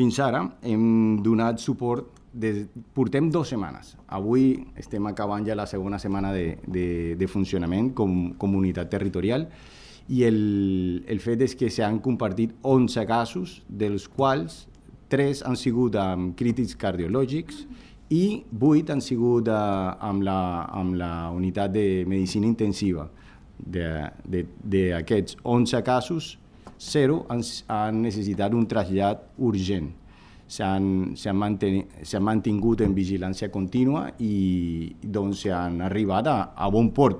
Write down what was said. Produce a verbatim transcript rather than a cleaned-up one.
Fins ara hem donat suport, des, portem dues setmanes. Avui estem acabant ja la segona setmana de, de, de funcionament com comunitat territorial i el, el fet és que s'han compartit onze casos, dels quals tres han sigut amb crítics cardiològics i vuit han sigut uh, amb, la, amb la unitat de medicina intensiva. D'aquests onze casos, zero han, han necessitat un trasllat urgent. S'han mantingut en vigilància contínua i doncs s'han arribat a, a bon port.